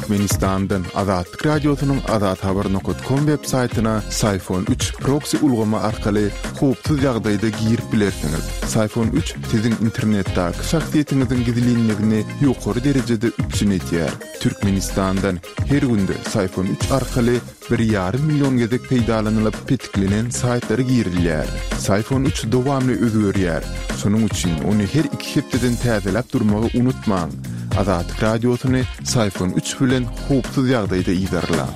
Türkmenistandan Azatlyk Radiosynyň azathabar nokat kom web saýtyna Syfon üç proksi ulgamy arkaly howpsuz ýagdaýda girip bilersiňiz. Syfon üç siziň internetdäki şahsyýetiňiziň gizlinligini ýokary derejede üpjün edýär. Türkmenistandan her günde Syfon üç arkaly bir ýarym million gezek peýdalanylyp petiklenen saýtlara girilýär. Syfon üç dowamly özgerýär. Şonuň üçin ony her iki hepdeden täzeläp durmagy unutmaň. Azatlyk Radiosyny Syfon üç bilen howpsuz ýagdaýda yzarlaň.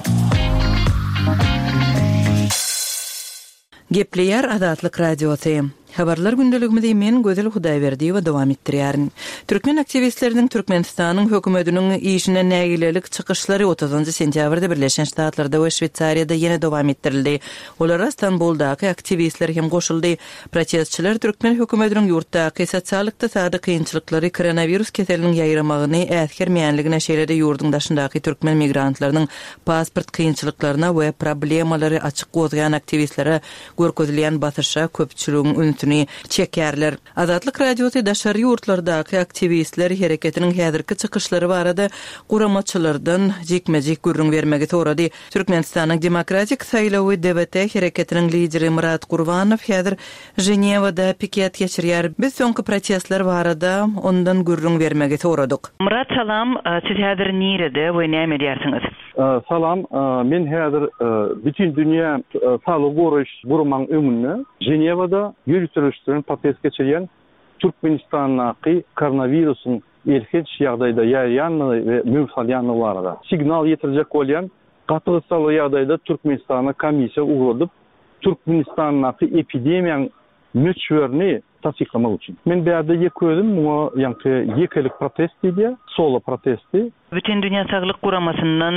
Gepleýär Azatlyk Radiosy. Habarlar gündeligimizi men, Gözel Hudaýberdiýewa dowam etdirýärin. Türkmen aktiwistleriniň Türkmenistanyň hökümetiniň işine nägilelik çykyşlary otuzynjy sentýabrda Birleşen Ştatlarda we Şweýsariýada ýene dowam etdirildi. Olara Stambuldaky aktiwistler hem goşuldy. Protestçiler türkmen hökümetiniň ýurtdaky sosial-ykdysady kynçylyklary, koronawirus keseliniň ýaýramagyny äsgermeýänligine, şeýle-de ýurduň daşyndaky türkmen migrantlarynyň pasport kynçylyklaryna we problemalary açyk gozgaýan aktiwistlere görkezilýän basyşa köpçüligiň ünsüni çekýärler. Azatlyk Radiosy daşary ýurtlardaky aktiwistler hereketiniň häzirki çykyşlary barada guramaçylardan jikme-jik gürrüň bermegi sorady. Türkmenistanyň Demokratik saýlawy DWT hereketiniň lideri Myrat Gurbanow häzir Ženewada piket geçirýär. Biz soňky protestler barada ondan gürrüň bermegi soradyk. Myrat salam, siz häzir nirede we näme edýärsiňiz? Salam, men häzir Bütindünýä saglygy goraýyş guramaň öňünde Ženewada ýöriteleşdirilen protest geçirýän Türkmenistandaky koronawirusyň elhenç ýagdaýda ýaýraýandygy we möwç alýandygy barada signal ýetirjek bolýan gaty gyssagly ýagdaýda Türkmenistana komissiýa ugradyp Türkmenistandaky epidemiýaň möçberini tassyklamak üçin. Men bärde ýeke özüm muňa ýaňky ýekelik protest diýilýär, solo protesti. Bütindünýä Saglyk Guramasyndan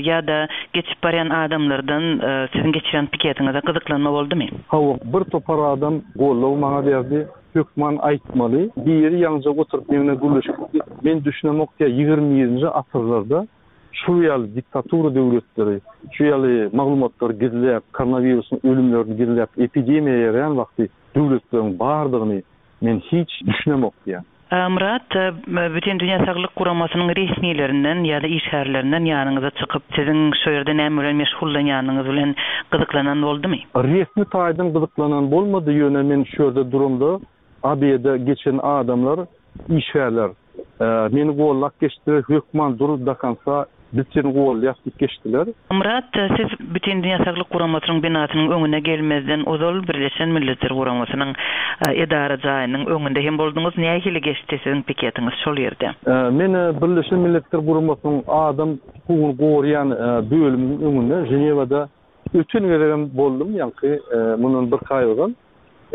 ýa-da geçip barýan adamlardan siziň geçirýän piketiňize gyzyklanma boldumy? Hawa, bir topar adam goldaw maňa berdi. Hökman aýtmaly. Biri ýaňyja oturyp meň bilen gürleşip gitdi. Men düşünemok diýýär, 21-nji asyrlarda şu ýaly diktatura döwletleri şu ýaly maglumatlary gizläp, koronawirusyň ölümlerini gizläp, epidemiýa ýaýraýan wagty döwletleriň bardygyny men hiç düşünemok diýýär. Myrat, Bütindünýä Saglyk Guramasynyň resmilerinden ýa-da işgärlerinden ýanyňyza çykyp, siziň şu ýerde näme bilen meşgullanýanyňyz bilen gyzyklanan boldumy? Resmi taýdan gyzyklanan bolmady, ýöne men şu ýerde duramda AB-de geçen adamlar, işgärler meni gollap geçdiler, hökman dur do konca, biz seni gollaýas diýip geçdiler. Myrat, siz Bütindünýä Saglyk Guramasynyň binasynyň öňüne gelmezden ozal Birleşen Milletler Guramasynyň edara jaýynyň öňünde hem bolduňyz. Nähili geçdi siziň piketiňiz şol ýerde? Men Birleşen Milletler Guramasynyň adam hukugyny goraýan bölüminiň öňünde Ženewada Öten gezegem boldum, ýaňky mundan birki aý ozal.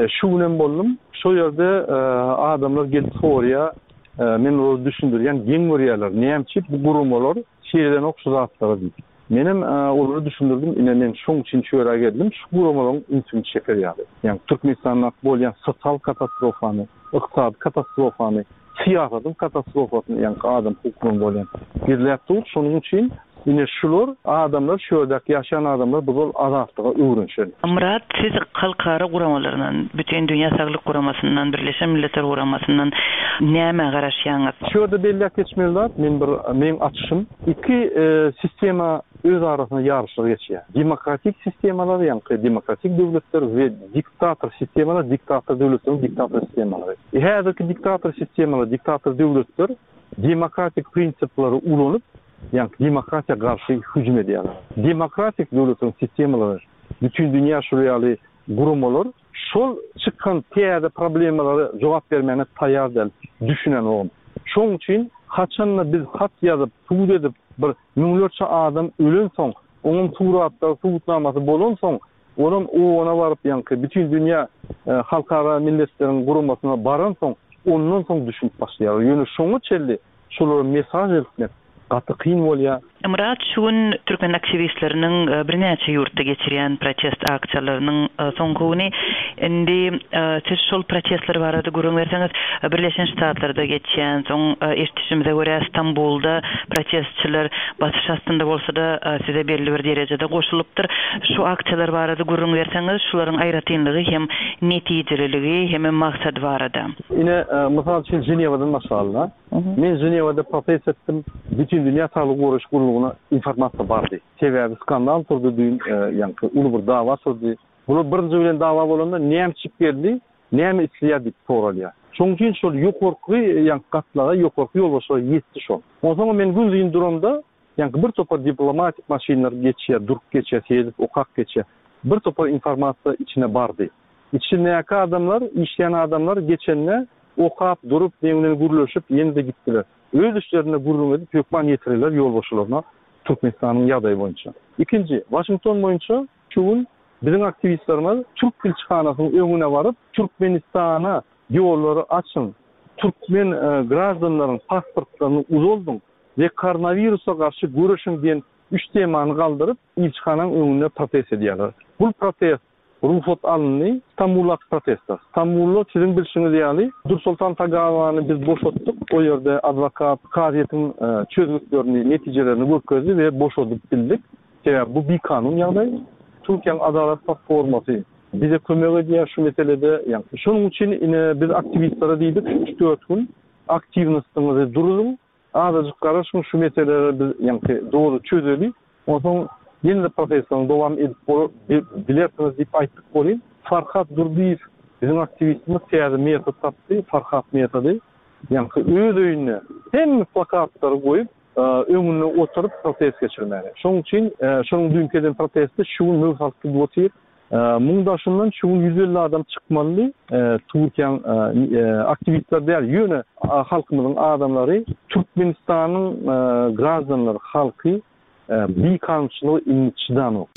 Şu günem boldum. Şo ýerde adamlar gelip soraýar, men olara düşündirýän, geň görýärler, näme üçin bu guramalar seredenok şu zatlara diýip. Menem olara düşündirdim, ine men şoň üçin şu ýere geldim, şu guramalaryň ünsüni çeker ýaly. Ýagny Türkmenistandaky bolýan sosial katastrofany, ykdysady katastrofany, syýasatyň katastrofasyny, ýaňky adam hukuklaryny bolýan gizläp dur. Şonuň üçin ine şular adamlar, şu ýerdäki ýaşaýan adamlar bu zol azatlyga öwrenişen. Myrat, siz halkara guramalaryndan, Bütindünýä Saglyk Guramasyndan, Birleşen Milletler Guramasyndan nämä garaşýaňyz? Şu ýerde belläp geçmeli zat, men bir meň açyşym, iki sistema öz arasynda ýaryşlar geçýär. Demokratik sistemalar, ýaňky demokratik döwletler we diktator sistemalar, diktator döwletleriň diktator sistemalary. Häzirki diktator sistemalar, diktator döwletler demokratik prinsipleri ulanyp, ýaňky demokratiýa garşy hüjüm edýärler. Demokratik döwletleriň sistemalary, bütindünýä şular ýaly guramalar şol çykan täze problemalara jogap bermäne taýýar däl, düşünenogam. Şoň üçin haçanda biz hat ýazyp, sud edip bir müňlerçe adam ölensoň, oňam suratlary, subutnamasy bolansoň, Olam OON-a baryp ýaňky Bütindünýä Halkara Milletleriň Guramasyna baransoň, ondan soň düşünip başlaýarlar. Ýöne şoňa çenli şolara mesaj eltmek gaty kyn bolýar. Myrat, şu gün türkmen aktiwistleriniň birnäçe ýurtda geçirýän protest aksiýalarynyň soňky güni. Indi siz şol protestler barada gürrüň berseňiz, Birleşen Ştatlarda geçýän, soň eşidişimize görä Stambulda protestçiler basyş astynda bolsa-da size belli bir derejede goşulypdyr. Şu aksiýalar barada gürrüň berseňiz, şularyň aýratynlygy hem netijeliligi hemem maksady barada. Ine, mysal üçin, Ženewadan başlaly-da. Men Ženewada protest etdim, Bütindünýä saglygy goraýyş. gullugyna informasiýa bardy. Sebäbi skandal turdy düýn, ýaňky uly bir dawa turdy. Bular birinji bilen dawa bolanda näme çykyp geldi, näme isleýär diýip soralýar. Şonuň üçin şol ýokarky ýaňky gatlaga, ýokarky ýolbaşçylara ýetdi şol. Onsoňam men günuzyn duramda, ýaňky bir topar diplomatik maşynlar geçýär, durup geçýär, seredip okap geçýär. Bir topar informasiýa içine bardy. Içindäki adamlar, işleýän adamlar geçende okap, durup, meň bilen gürleşip, ýene-de gitdiler. Öz işlerinde gürrüň edip, hökman ýetirerler ýolbaşçylaryna Türkmenistanyň ýagdaýy boýunça. Ikinji, Waşington boýunça şu gün biziň aktiwistlerimiz türk ilçihanasynyň öňüne baryp, Türkmenistana ýollary açyň, türkmen graždanlaryň pasportlaryny uzaldyň we koronawirusa garşy göreşiň diýen üç temany galdyryp, ilçihanaň öňünde protest edýärler. Bul protest Rugsat alyndy. Stambuldaky protestler. Stambulda siziň bilşiňiz ýaly, Dursoltan Tagawany biz boşatdyk. O ýerde adwokat kazyýetiň çözgütlerini, netijelerini görkezdi we boşadyp bildik. Sebäbi bu bikanun ýagdaý. Türkiýäň Adalat platformasy bize kömek edýär şu meselede. Ýagny şonuň üçin ine biz aktiwistlere diýdik, şu üç-dört gün aktiwnostyňyzy duruzyň. Azajyk garaşyň şu meseleleri biz ýaňky doly çözeli, onsoň ýene-de protestlerini dowam edip bilersiňiz diýip aýtdyk welin, Farhat Durdyýew biziň aktiwistimiz täze metod tapdy, Farhat metody, ýaňky öz öýünde hemme plakatlary goýup, öňünde oturyp protest geçirmäge. Şonuň üçin şonuň düýnki eden protesti şu gün möwt alyp gidip otyr. Muň daşyndan şu gün 150 adam çykmalydy. Türkiýäň aktiwistleri däl, ýöne halkymyzyň adamlary, Türkmenistanyň graždanlary, halky bikanunçylyga indi çydanok.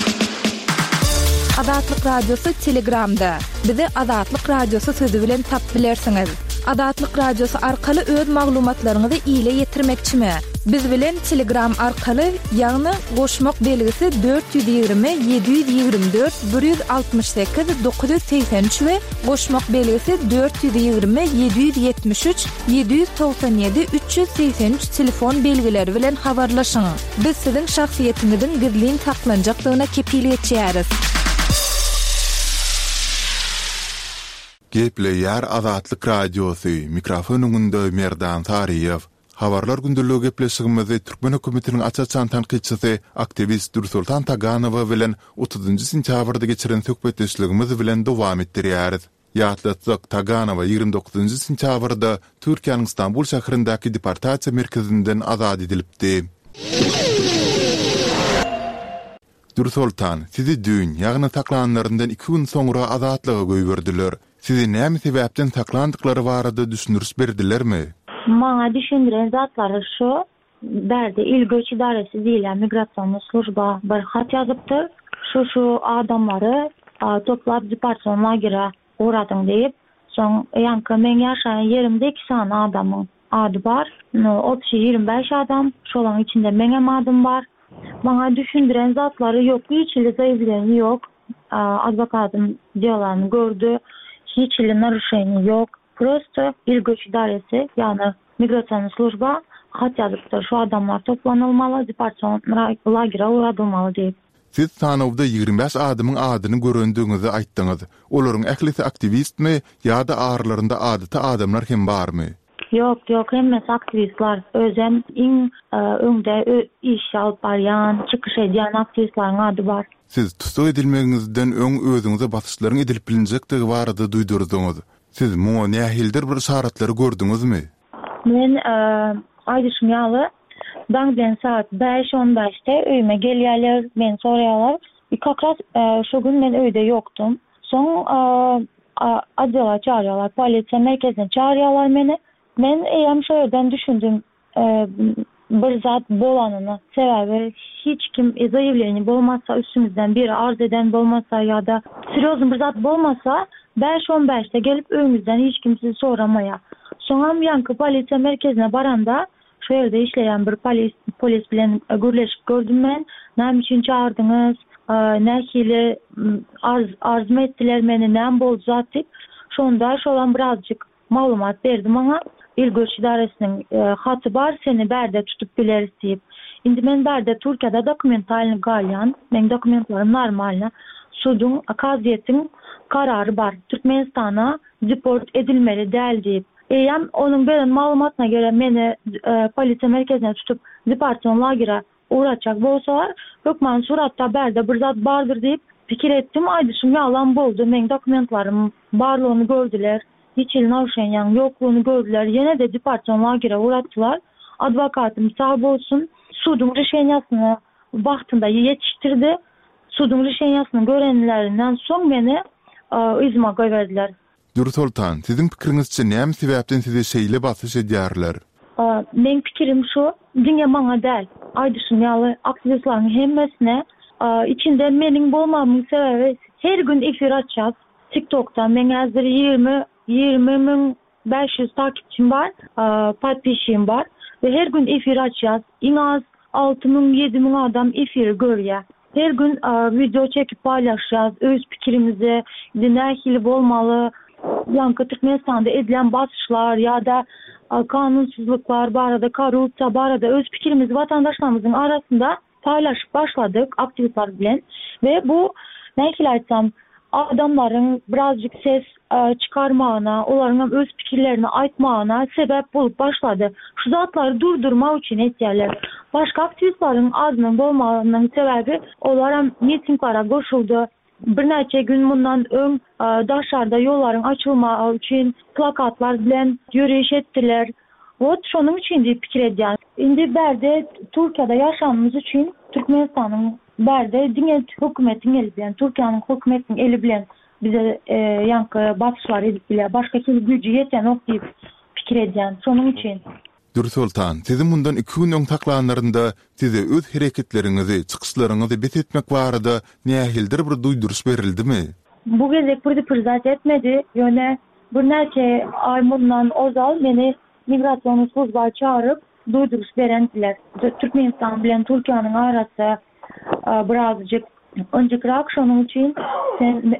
Azatlyk Radiosy Telegramda. Bizi Azatlyk Radiosy sözi bilen tapyp bilersiňiz. Azatlyk Radiosy arkaly öz maglumatlaryňyzy ile ýetirmekçimi? Biz bilen Telegram arkaly, ýagny goşmak belgisi 420 724 168 983 we goşmak belgisi 420 773 797 383 telefon belgileri bilen habarlaşyň. Biz siziň şahsyýetiňiziň gizlin saklanjakdygyna kepil geçýäris. Gepleýär Azatlyk Radiosy, mikrofon öňünde Merdan Saryýew. Habarlar gündeligi gepleşigimizi türkmen hökümetiniň aç-açan tankytçysy, aktiwist Dürsoltan Taganowa bilen otuzynjy sentýabrda geçiren söhbetdeşligimiz bilen dowam etdirýäris. Ýatlatsak, Taganowa 29 sentýabrda Türkiýäniň Stambul şäherindäki deportasiýa merkezinden azat edilipdi. Dürsoltan, sizi düýn, ýagny saklanlaryndan iki gün soňra azatlyga goýberdiler. Sizi näme sebäpden saklandyklary barada düşündiriş berdilermi? Maňa düşündiren zatlary şu, bärde il göç idaresi diýilýän migrasionnyý služba bir hat ýazypdyr, şu-şu adamlary toplap deportasion lagere ugradyň diýip. Soň ýaňky meň ýaşaýan ýerimde iki sany adamyň ady bar. No, obşi 25 adam, şolaň içinde meňem adym bar. Maňa düşündiren zatlary ýok, hiç hili zaýawleniýa ýok. Adwokatym delany gördi, hiç hili naruşeniýa ýok. Prosto il göç idaresi, ýagny migrasionnyý služba hat ýazypdyr, şu adamlar toplanylmaly, deportasion lagere ugradylmaly diýip. Siz sanawda 25 adamyň adyny görendigiňizi aýtdyňyz. Olaryň ählisi aktiwistmi ýa-da aralarynda adaty adamlar hem barmy? Ýok, ýok, hemmesi aktiwistler. Özem iň öňde iş alyp barýan, çykyş edýän aktiwistleriň ady bar. Siz tussag edilmegiňizden öň özüňize basyşlaryň edilip bilinjekdigi barada duýdurdyňyz. Siz muňa nähilidir bir yşaratlary gördüňizmi? Men, aýdyşym ýaly, daň bilen sagat bäş on bäşde öýüme gelýärler, meni soraýarlar. I kak raz şo gün men öýde ýokdum. Soň otdela çagyrýarlar, polisiýa merkezine çagyrýarlar meni. Men eýýäm şo ýerden düşündim bir zat bolanyny. Sebäbi hiç kim zaýawleniýe bolmasa, üstüňizden biri arz eden bolmasa ýa-da serýoznyý bir zat bolmasa, bäş on bäşde gelip öýüňizden hiç kim sizi soramaýar. Soňam ýaňky polisiýa merkezine baranda şo ýerde işleýän bir polis polis bilen gürleşip gördüm men. Näme üçin çagyrdyňyz? Nähili arz arzmy etdiler meni, näme boldy zat diýip. Şonda şolam birazjyk Maglumat berdi maňa, Il göç idaresiniň haty bar, seni bärde tutup bileris diýip. Indi men bärde Türkiýede dokumentalny galýan, meň dokumentlerim normalny. Suduň, kazyýetiň karary bar, Türkmenistana deport edilmeli däl diýip. Eýýäm onuň beren maglumatyna görä meni polisiýa merkezine tutup deportasion lagere. Ugratjak bolsalar, hökman suratda bärde bir zat bardyr diýip pikir etdim. Aýdyşym ýalam boldy, meň dokumentlarym barlygyny gördüler, hiç hili naruşeniýaň ýoklugyny gördüler, ýene-de deportasion lagere ugratdylar. Adwokatym sag bolsun, suduň rişeniýasyny wagtynda ýetişdirdi. Suduň rişeniýasyny görenlerinden soň meni yzyma goýberdiler. Dürsoltan, siziň pikiriňizçe näme sebäpden size şeýle basyş edýärler? Meň pikirim şu, diňe maňa däl, aýdyşym ýaly aktiwistleriň hemmesine, içinde meniň bolmagymyň sebäbi her gün efir açýas TikTokda, meň häzir 20 20500 takipçim bar, podpisçigim bar we her gün efir açýas, iň az 6000 7000 adam efiri görýär. Her gün wideo çekip paýlaşýas, öz pikirimizi, indi nähili bolmaly, ýaňky Türkmenistanda edilen basyşlar ýa-da kanunsyzlyklar barada, korrupsiýa barada öz pikirimizi watandaşlarymyzyň arasynda paýlaşyp başladyk aktiwistler bilen we bu nähili aýtsam, adamlaryň birazjyk ses çykarmagyna, olaryňam öz pikirlerini aýtmagyna sebäp bolup başlady. Şu zatlary durdurmak üçin etýärler. Başga aktiwistleriň azynyň bolmagynyň sebäbi olaram mitinglara goşuldy. Birnäçe gün mundan öň daşarda ýollaryň açylmagy üçin plakatlar bilen ýöriş etdiler. Wot şonuň üçin diýip pikir edýän. Indi bärde Türkiýede ýaşanymyz üçin Türkmenistanyň bärde diňe hökümetiň eli bilen, Türkiýäniň hökümetiniň eli bilen bize ýaňky basyşlary edip bilýär. Başga hili güýji ýetenok diýip pikir edýän. Şonuň üçin. Dürsoltan, sizi mundan iki gün öň saklanlarynda size öz hereketleriňizi, çykyşlaryňyzy bes etmek barada nähilidir bir duýduryş berildimi? Bu gezek preduprždать etmedi, ýöne Birnäçe aý mundan ozal meni migrasion sluzba çagyryp, duýduryş berendiler. Türkmenistan bilen Türkiýäniň arasy birazjyk ynjykrak, şonuň üçin sen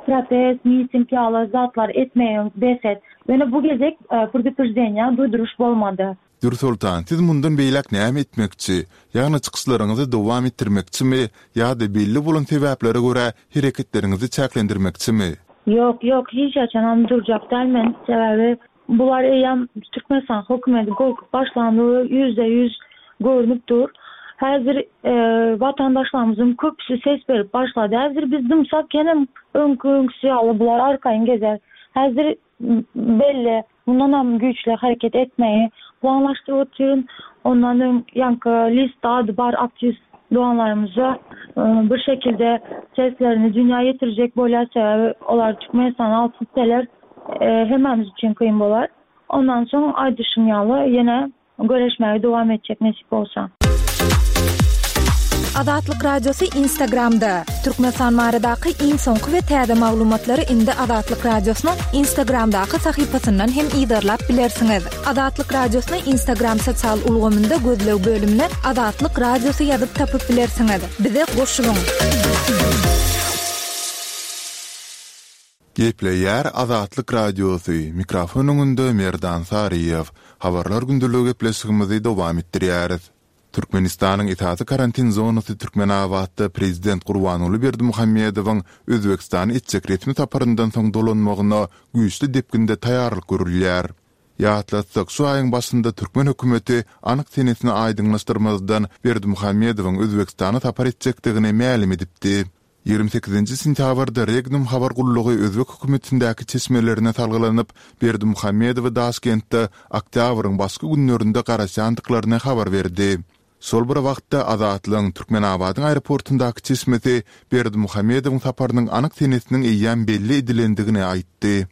protest, miting ýaly zatlar etmegiňi bes et. Ýöne bu gezek predupreždeniýa, duýduryş bolmady. Dürsoltan, siz mundan beýläk näme etmekçi? Ýagny çykyşlaryňyzy dowam etdirmekçimi ýa-da belli bolan sebäplere görä hereketleriňizi çäklendirmekçimi? Ýok, ýok, hiç haçanam durjak däl men. Sebäbi bular eýýäm Türkmenistan hökümeti gorkup başlandygy 100% görnüp dur. Häzir watandaşlarymyzyň köpüsi ses berip başlady. Häzir biz dymsak ýenem öňki-öňküsi ýaly bular arkaýyn gezer. Häzir Belli, mundanam güýçli hereket etmegi planlaşdyryp otyryn. Ondan öň ýaňky listde ady bar aktiwist doganlarymyza bir şekilde seslerini dünýä ýetirjek bolýar, sebäbi olar Türkmenistana alyp gitseler hemmämiz üçin kyn bolar. Ondan soň aýdyşym ýaly ýene Göreşmäge dowam etjek nesip bolsa. Azatlyk Radiosy Instagramda, Türkmenistan baradaky iň soňky we täze maglumatlary indi Azatlyk Radiosynyň Instagramdaky sahypasyndan hem yzarlap bilersiňiz. Azatlyk Radiosyny Instagram sosial ulgamynda gözleg bölümine Azatlyk Radiosy ýazyp tapyp bilersiňiz. Bize goşulyň! Gepleýär Azatlyk Radiosy, mikrofon öňünde Merdan Saryýew. Habarlar gündeligi gepleşigimizi dowam etdirýäris. Türkmenistanyň esasy karantin zonasy Türkmenabatda prezident Gurbanguly Berdimuhamedowyň Özbegistana etjek resmi saparyndan soň dolanmagyna güýçli depginde taýýarlyk görülýär. Ýatlatsak, şu aýyň başynda türkmen hökümeti anyk senesini aýdyňlaşdyrmazdan Berdimuhamedowyň Özbegistana sapar etjekdigini mälim edipdi. 28 sentýabrda Regnum habar gullugy özbek hökümetindäki çeşmelerine salgylanyp, Berdimuhamedowy Daşkentde oktýabryň başky günlerinde garaşýandyklaryny habar berdi. Şol bir wagtda, Azatlygyň Türkmenabadyň aeroportundaky çeşmesi Berdimuhamedowyň saparynyň anyk senesiniň eýýäm belli edilendigini aýtdy.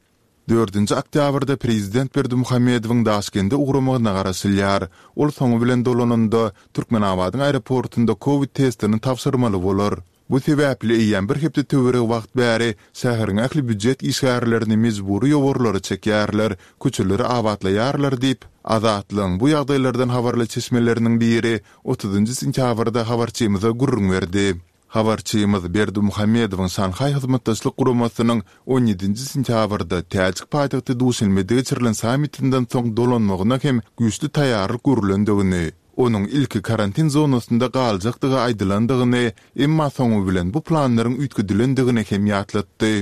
Dördünji oktýabrda prezident Berdimuhamedowyň Daşkende ugramagyna garaşylýar. Ol soňy bilen dolananda, Türkmenabadyň aeroportunda kowid testini tabşyrmaly bolar. Bu sebäpli eýýäm bir hepde töweregi wagt bäri şäheriň ähli býujet işgärlerini mejbury ýowarlara çekýärler, köçeleri abatlaýarlar diýip, Azatlygyň bu ýagdaýlardan habarly çeşmeleriniň biri otuzynjy sentýabrda habarçymyza gürrüň berdi. Habarçymyz Berdimuhamedowyň Şanhaý Hyzmatdaşlyk Guramasynyň on ýedinji sentýabrda täjik paýtagty Duşenbede geçirilen sammitinden soň dolanmagyna hem güýçli taýýarlyk görülendigini, onuň ilki karantin zonasynda galjakdygy aýdylandygyny, emma soňy bilen bu planlaryň üýtgedilendigini hem ýatlatdy.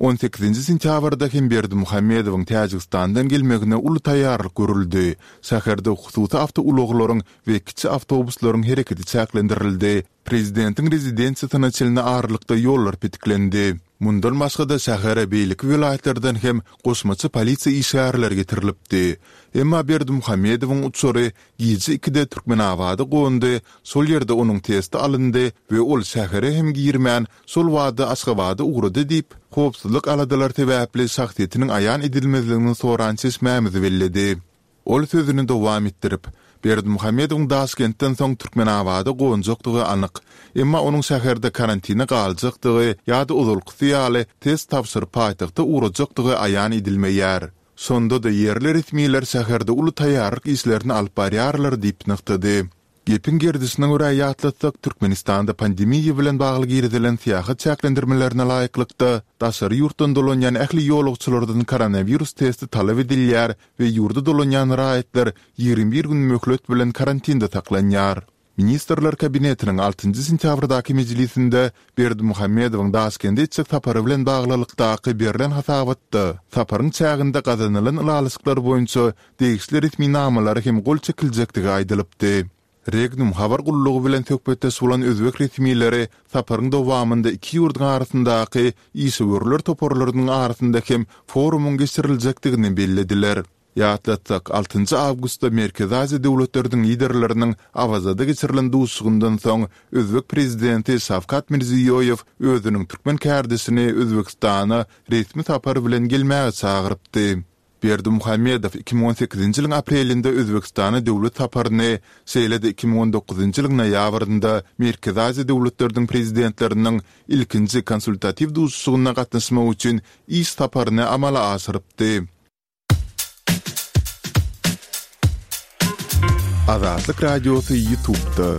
On sekizinji sentýabrda hem Berdimuhamedowyň Täjigistandan gelmegine uly taýýarlyk görüldi. Şäherde hususy awtoulaglaryň we kiçi awtobuslaryň hereketi çäklendirildi, prezidentiň rezidensiýasyna çenli aralykda ýollar petiklendi. Mundan başga-da şähere beýleki welaýatlardan hem goşmaça polisiýa işgärleri getirilipdi. Emma Berdimuhamedowyň uçary gije ikide Türkmenabada gondy, şol ýerde onuň testi alyndy we ol şähere hem girmän, şol bada Aşgabada ugrady diýip, howpsuzlyk aladalary sebäpli şahsyýetiniň aýan edilmezligini soran çeşmämiz belledi. Ol sözüni dowam etdirip, Berdimuhamedowyň Daşkentden soň Türkmenabada gonjakdygy anyk. Emma onuň şäherde karantine galjakdygy ýa-da ozalkysy ýaly test tabşyryp paýtagta ugrajakdygy aýan edilmeýär. Şonda-da ýerli resmiler şäherde uly taýýarlyk işlerini alyp barýarlar diýip nygtady. Gepiň gerdişine görä ýatlatsak, Türkmenistanda pandemiýa bilen bagly girizilen syýahat çäklendirmelerine laýyklykda, daşary ýurtdan dolanýan ähli ýolagçylardan koronawirus testi talap edilýär we ýurda dolanýan raýatlar 21 gün möhlet bilen karantinde saklanýar. Ministrler Kabinetiniň altynjy sentýabrdaky mejlisinde Berdimuhamedowyň Daşkende etjek sapary bilen baglylykdaky berlen hasabatda, saparyň çäginde gazanylan ylalaşyklar boýunça degişli resminamalara hem gol çekiljekdigi aýdylypdy. Regnum habar gullugy bilen söhbetdeş bolan özbek resmileri saparyň dowamynda iki ýurduň arasyndaky işewürler toparlarynyň arasynda hem forumyň geçiriljekdigini bellediler. Ýatlatsak, altynjy awgustda Merkezi Aziýa döwletleriniň liderleriniň Awazada geçirilen duşuşygyndan soň özbek prezidenti Şawkat Mirziýoýew özüniň türkmen kärdeşini Özbegistana resmi sapar bilen gelmäge çagyrypdy. Berdimuhamedow 2018-nji ýylyň aprelinde Özbegistana döwlet saparyny, şeýle-de 2019-njy ýylyň noýabrynda Merkezi Aziýa döwletleriniň prezidentleriniň ilkinji konsultatiw duşuşygyna gatnaşmak üçin iş saparyny amala aşyrypdy. Azatlyk Radiosy YouTube'da.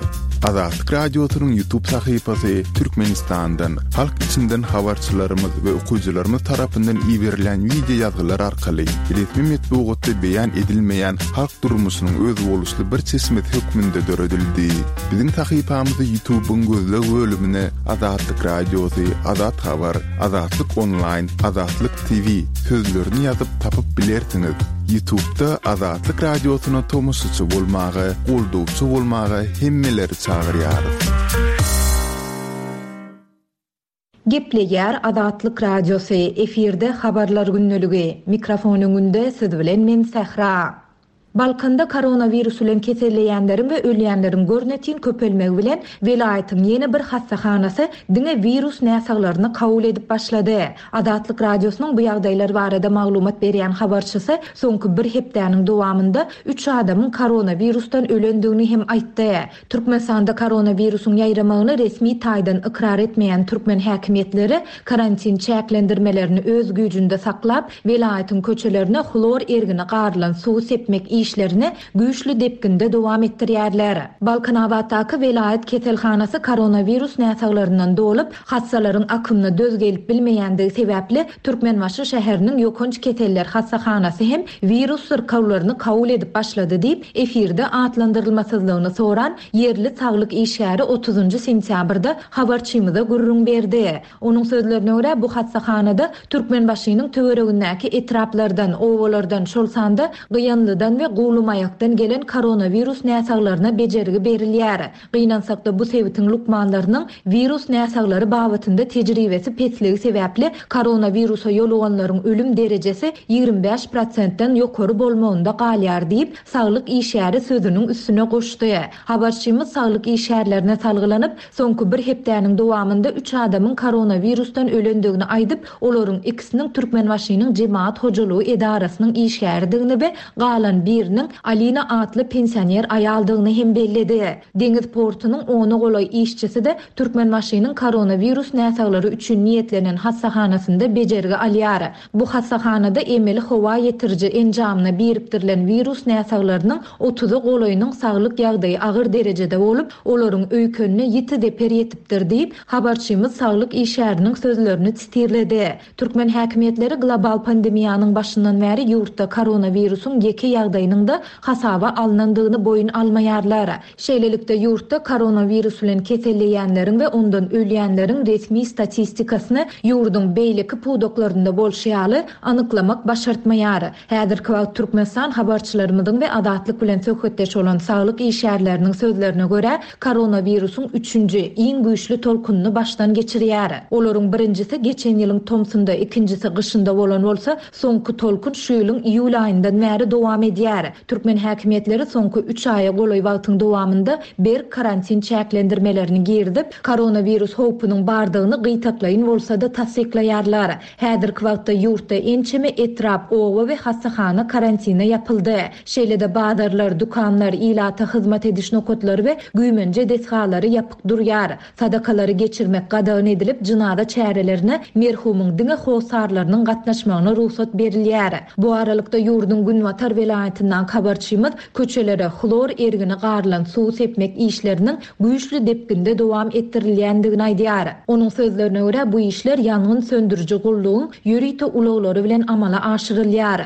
Azatlyk Radiosynyň YouTube sahypasy Türkmenistandan, halk içinden habarçylarymyz we okyjylarymyz tarapyndan iberilýän wideo ýazgylar arkaly resmi metbugatda beýan edilmeýän halk durmuşynyň özboluşly bir çeşmesi hökmünde döredildi. Biziň sahypamyzy YouTube-yň gözleg bölümine Azatlyk Radiosy, Azat Habar, Azatlyk Onlaýn, Azatlyk TV sözlerini ýazyp tapyp bilersiňiz. Ýutubda Azatlyk Radiosyna tomaşaçy bolmaga, goldawçy bolmaga hemmeleri çagyrýarys. Gepleýär Azatlyk Radiosy, efirde Habarlar gündeligi. Mikrofon öňünde siz bilen men Sähra. Balkanda koronawirus bilen keselleýänleriň we ölýänleriň görnetin köpelmegi bilen, welaýatyň ýene bir hassahanasy diňe wirus näsaglaryny kabul edip başlady. Azatlyk Radiosynyň bu ýagdaýlar barada maglumat berýän habarçysy soňky bir hepdäniň dowamynda üç adamyň koronawirusdan ölendigini hem aýtdy. Türkmenistanda koronawirusyň ýaýramagyny resmi taýdan ykrar etmeýän türkmen häkimiýetleri karantin çäklendirmelerini öz güýjünde saklap, welaýatyň köçelerine hlor ergini garylan suwy sepmek işlerini güýçli depginde dowam etdirýärler. Balkanabatdaky welaýat keselhanasy koronawirus näsaglaryndan dolup, hassalaryň akymyna döz gelip bilmeýändigi sebäpli, Türkmenbaşy şäheriniň ýokanç keseller hassahanasy hem wirus syrkawlaryny kabul edip başlady diýip, efirde atlandyrylmasyzlygyny soran ýerli saglyk işgäri otuzynjy sentýabrda habarçymyza gürrüň berdi. Onuň sözlerine görä, bu hassahanada Türkmenbaşynyň töweregindäki etraplardan, obalardan, şol sanda Gyýanlydan we Guwlymaýakdan gelen koronawirus näsaglaryna bejergi berilýär. Gynansakda bu sebitiň lukmanlarynyň wirus näsaglary babatynda tejribesi pesligi sebäpli koronawirusa ýoluganlaryň ölüm derejesi 25 prosentden ýokary bolmagynda galýar diýip, saglyk işgäri sözüniň üstüne goşdy. Habarçymyz saglyk işgärlerine salgylanyp, soňky bir hepdäniň dowamynda üç adamyň koronawirusdan ölendigini aýdyp, olaryň ikisiniň Türkmenbaşynyň jemagat hojalygy edarasynyň işgäridigini we galan biriniň Alina atly pensioner aýaldygyny hem belledi. Deňiz portunyň ona golaý işçisi-de Türkmenbaşynyň koronawirus näsaglary üçin niýetlenen hassahanasynda bejergi alýar. Bu hassahanada emeli howa ýetiriji enjamyna birikdirilen wirus näsaglarynyň otuza golaýynyň saglyk ýagdaýy agyr derejede bolup, olaryň öýkenine ýiti zeper ýetipdir diýip, habarçymyz saglyk işgäriniň sözlerini sitirledi. Türkmen häkimiýetleri global pandemiýanyň başyndan bäri ýurtda koronawirusyň ýeke ýagdaýynyň. ýagdaýynyň-da hasaba alnandygyny boýun almaýarlar. Şeýlelikde, ýurtda koronawirus bilen keselleýänleriň we ondan ölýänleriň resmi statistikasyny ýurduň beýleki pudaklarynda bolşy ýaly, anyklamak başartmaýar. Häzirki wagt Türkmenistan habarçylarymyzyň we Azatlyk bilen söhbetdeş bolan saglyk işgärleriniň sözlerine görä, koronawirusyň üçünji, iň güýçli tolkunyny başdan geçirýär. Olaryň birinjisi geçen ýylyň tomsunda, ikinjisi gyşynda bolan bolsa, soňky tolkun şu ýylyň iýul aýyndan bäri dowam edýär. Türkmen häkimiýetleri soňky üç aýa golaý wagtyň dowamynda berk karantin çäklendirmelerini girizip, koronawirus howpunyň bardygyny gytaklaýyn bolsa-da tassyklaýarlar. Häzirki wagtda ýurtda ençeme etrap, oba we hassahana karantine ýapyldy. Şeýle-de bazarlar, dükanlar, ilata hyzmat ediş nokatlary we güýmenje desgalary ýapyk durýar. Sadakalary geçirmek gadagan edilip, jynaza çärelerine merhumyň diňe hossarlarynyň gatnaşmagyna rugsat berilýär. Bu aralykda, ýurduň günbatar welaýatyndan habarçymyz köçelere hlor ergini garylan suwy sepmek işleriniň güýçli depginde dowam etdirilýändigini aýdýar. Onuň sözlerine görä, bu işler ýangyn söndüriji gullugyň ýörite ulaglary bilen amala aşyrylýar.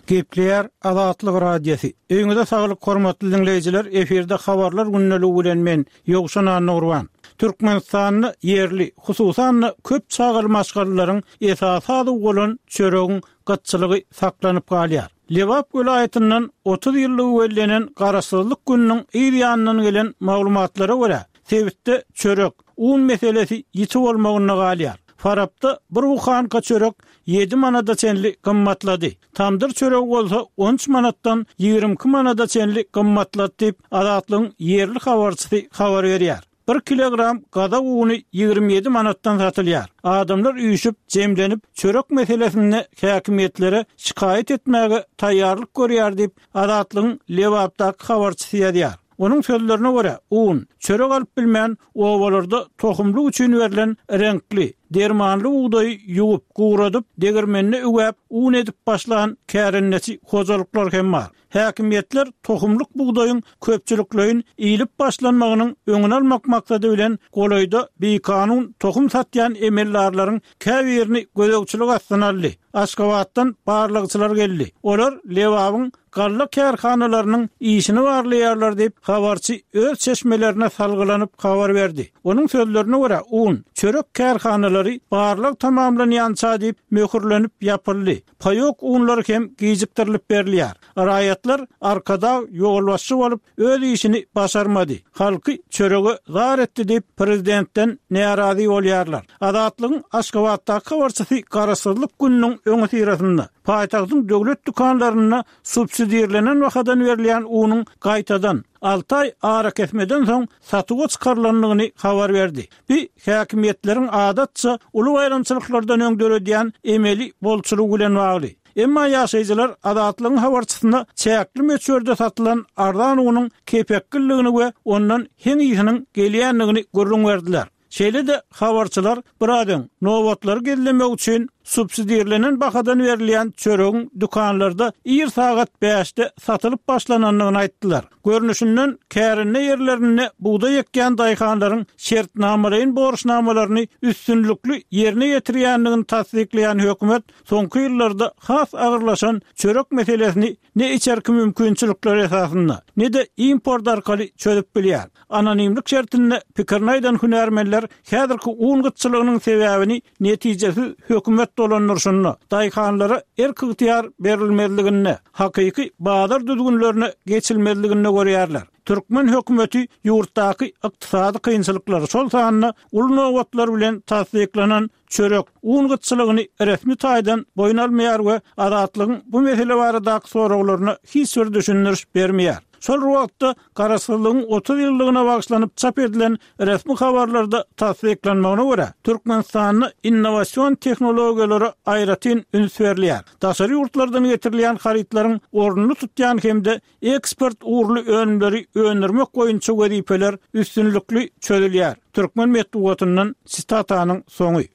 Gepleýär Azatlyk Radiosy. Öýüňize saglyk hormatly diňleýjiler, efirde habarlar gündeligi bilen men, Ýowşan Annagurban. Türkmenistanda ýerli, hususan-da köp çagaly maşgalalaryň esasy azygy bolan çöregiň gytçylygy saklanyp galýar. Lebap welaýatyndan 30 ýyllygy bellenen Garaşsyzlyk gününiň yz ýanyndan gelen maglumatlara görä, sebitde çörek, un meselesi ýiti bolmagynda galýar. Farapda bir buhanka çörek ýedi manada çenli gymmatlady. Tamdyr çöregi bolsa on üç manatdan 22 manada çenli gymmatlady diýip, Azatlygyň ýerli habarçysy habar berýär. Bir kilogram gazak uny 27 manatdan satylýar. Adamlar üýşüp, jemlenip, çörek meselesinde häkimiýetlere şikaýat etmäge taýýarlyk görýär diýip, Azatlygyň Lebapdaky habarçysy ýazýar. Onuň sözlerine görä, un, çörek alyp bilmän, obalarda tohumlyk üçin berlen reňkli, dermanly bugdaýy ýuwup, guradyp, degirmende üwäp, un edip başlan kärendeçi hojalyklar hem bar. Häkimiýetler tohumlyk bugdaýyň köpçülikleýin iýlip başlanmagynyň öňüni almak maksady bilen golaýda bikanun tohum satýan emeldarlaryň käbirini gözegçilik astyna aldy. Aşgabatdan barlagçylar geldi. Olar Lebabyň galla kärhanalarynyň işini barlaýarlar diýip, habarçy öz çeşmelerine salgylanyp habar berdi. Onuň sözlerine görä, un, çörek kärhanalary barlag tamamlanýança diýip möhürlenip ýapyldy. Paýok unlary hem gijikdirilip berilýär. Raýatlar Arkadag ýolbaşçy bolup, öz işini başarmady, halky çörege zar etdi diýip, prezidentden närazy bolýarlar. Azatlygyň Aşgabatdaky habarçysy Garaşsyzlyk gününiň öňüsyrasynda, paýtagtyň döwlet dükanlarynda subsidirlenen bahadan berilýän unuň gaýtadan, alty aý arakesmeden soň satuwa çykarylandygyny habar berdi. Bu häkimiýetleriň adatça uly baýramçylyklardan öň döredýän emeli bolçulygy bilen bagly. Emma ýaşaýjylar Azatlygyň habarçysyna çäkli möçberde satylan arzan unuň kepekgildigini we ondan heň ysynyň gelýändigini gürrüň berdiler. Şeýle-de habarçylar biraz öň, nobatlary gizlemek üçin subsidirlenen bahadan berilýän çöregiň dükanlarda ir sagat bäşde satylyp başlanandygyny aýtdylar. Görnüşinden, kärende ýerlerinde bugdaý ekýän daýhanlaryň şertnamalaýyn borçnamalaryny üstünlikli ýerine ýetirýändigini tassyklaýan hökümet soňky ýyllarda has agyrlaşan çörek meselesini ne içerki mümkinçilikler esasynda, ne-de import arkaly çözüp bilýär. Anonimlik şertinde pikirini aýdan hünärmenler häzirki un gytçylygynyň sebäbini netijesiz hökümet dolandyryşynda, daýhanlara erk-ygtyýar berilmezliginde, hakyky bazar düzgünlerine geçilmezliginde görýärler. Türkmen hökümeti ýurtdaky ykdysady kynçylyklary, şol sanda uly nobatlar bilen tassyklanan çörek, un gytçylygyny resmi taýdan boýun almaýar we Azatlygyň bu mesele baradaky soraglaryna hiç bir düşündiriş bermeýär. Şol bir wagtda, Garaşsyzlygyň 30 ýyllygyna bagyşlanyp çap edilen resmi habarlarda tassyklanmagyna görä, Türkmenistanda innowasion tehnologiýalara aýratyn üns berilýär. Daşary ýurtlardan getirilýän harytlaryň ornuny tutýan hem-de eksport ugurly önümleri öndürmek boýunça wezipeler üstünlikli çözülýär. Türkmen metbugatyndan sitatanyň soňy.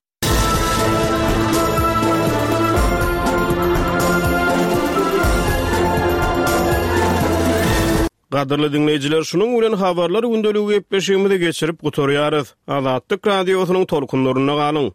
Gadyrly diňleýjiler, şunuň bilen Habarlar gündeligi gepleşigimizi geçirip gutarýarys. Azatlyk Radiosynyň tolkunlarynda galyň!